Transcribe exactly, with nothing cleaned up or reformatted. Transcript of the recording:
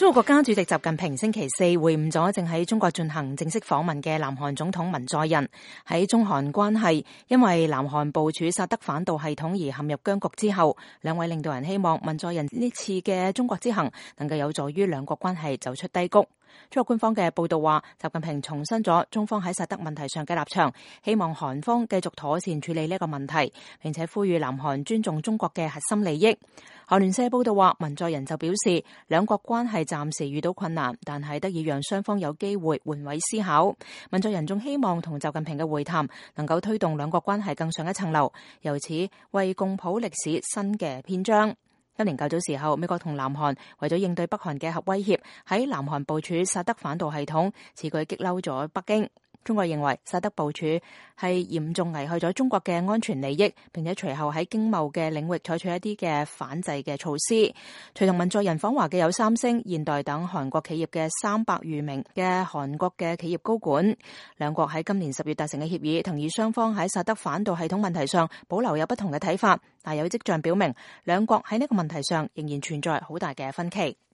中國國家主席習近平星期四會晤咗正喺中國進行正式訪問嘅南韓總統文在寅。喺中韓關係因為南韓部署薩德反導系統而陷入僵局之後，兩位領導人希望文在寅呢次嘅中國之行能夠有助於兩國關係走出低谷。中國官方嘅報道話，習近平重申咗中方喺薩德問題上嘅立場，希望韓方繼續妥善處理呢個問題，並且呼籲南韓尊重中國嘅核心利益。韓聯社報道話，文在寅就表示，兩國關係暫時遇到困難，但係得以讓雙方有機會換位思考。文在寅仲希望同習近平嘅會談能夠推動兩國關係更上一層樓，由此為共譜歷史新嘅篇章。今年較早時候，美國同南韓為咗應對北韓嘅核威脅，喺南韓部署薩德反導系統，此舉激嬲咗北京。中國認為薩德部署係嚴重危害咗中國嘅安全利益，並且隨後喺經貿嘅領域採取一啲嘅反制嘅措施。隨同文在寅訪華嘅有三星、現代等韓國企業嘅三百餘名嘅韓國嘅企業高管。兩國喺今年十月達成嘅協議，同意雙方喺薩德反導系統問題上保留有不同嘅睇法，但有跡象表明兩國喺呢個問題上仍然存在好大嘅分歧。